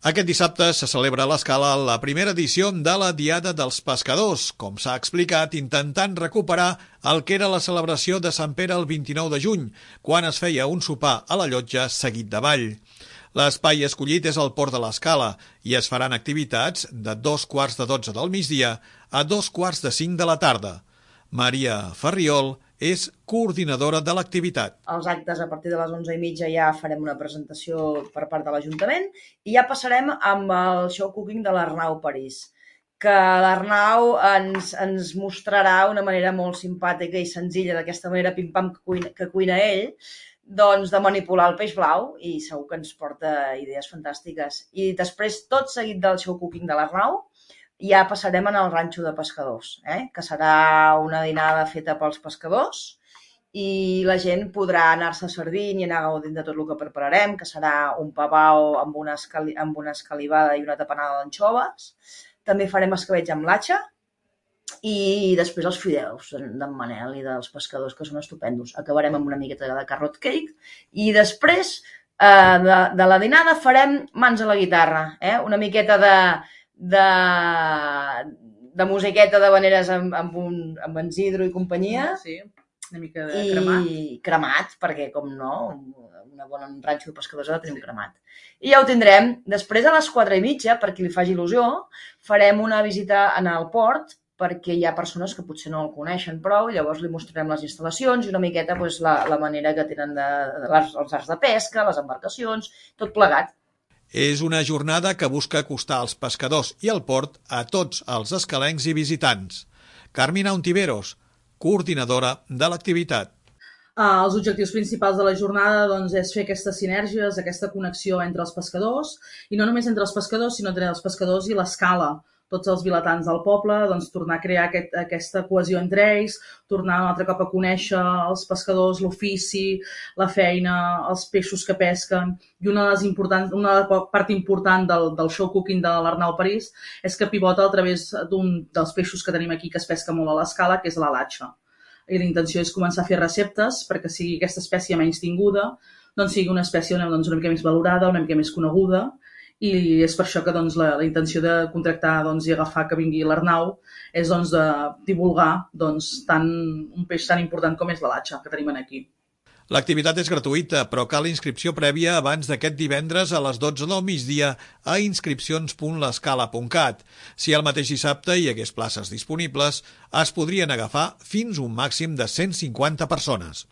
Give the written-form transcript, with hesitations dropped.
Aquest dissabte se celebra a l'Escala la primera edició de la Diada dels Pescadors, com s'ha explicat, intentant recuperar el que era la celebració de Sant Pere el 29 de juny, quan es feia un sopar a la llotja seguit de ball. L'espai escollit és el Port de l'Escala i es faran activitats de 2:15 del migdia a 2:45 de la tarda. Maria Ferriol és coordinadora de l'activitat. Els actes a partir de les 11:30 ja farem una presentació per part de l'Ajuntament i ja passarem amb el show cooking de l'Arnau París, que l'Arnau ens mostrarà una manera molt simpàtica i senzilla, d'aquesta manera pim-pam que cuina ell, doncs de manipular el peix blau, i segur que ens porta idees fantàstiques. I després, tot seguit del show cooking de l'Arnau, ja passarem al ranxo de pescadors, que serà una dinada feta pels pescadors i la gent podrà anar-se servint i anar gaudint de tot el que prepararem, que serà un pavao amb una escalivada i una tapenada d'anxoves. També farem escabetx amb latxa i després els fideus d'en Manel i dels pescadors, que són estupendos. Acabarem amb una miqueta de carrot cake i després de la dinada farem mans a la guitarra, una miqueta de musiqueta de veneres amb en Isidro i companyia. Sí, una mica de cremat. I cremat, perquè, com no, un bon ranxo de pescadors ha de tenir un cremat. I ja ho tindrem. Després, a les 4:30, per qui li faci il·lusió, farem una visita al port, perquè hi ha persones que potser no el coneixen prou, i llavors li mostrarem les instal·lacions i una miqueta la manera que tenen els arts de pesca, les embarcacions, tot plegat. És una jornada que busca acostar els pescadors i el port a tots els escalencs i visitants. Carmina Ontiveros, coordinadora de l'activitat. Els objectius principals de la jornada és fer aquestes sinergies, aquesta connexió entre els pescadors, i no només entre els pescadors, sinó entre els pescadors i l'escala. Tots els vilatans del poble, tornar a crear aquesta cohesió entre ells, tornar un altre cop a conèixer els pescadors, l'ofici, la feina, els peixos que pesquen. I una part important del show cooking de l'Arnau París és que pivota a través d'un dels peixos que tenim aquí que es pesca molt a l'Escala, que és la latxa. I la intenció és començar a fer receptes perquè sigui aquesta espècie menys tinguda, sigui una espècie una mica més valorada, una mica més coneguda. I és per això que la intenció de contractar i agafar que vingui l'Arnau és de divulgar tant un peix tan important com és la latxa que tenim aquí. L'activitat és gratuïta, però cal inscripció prèvia abans d'aquest divendres a les 12 del migdia a inscripcions.lescala.cat. Si el mateix dissabte hi hagués places disponibles, es podrien agafar fins un màxim de 150 persones.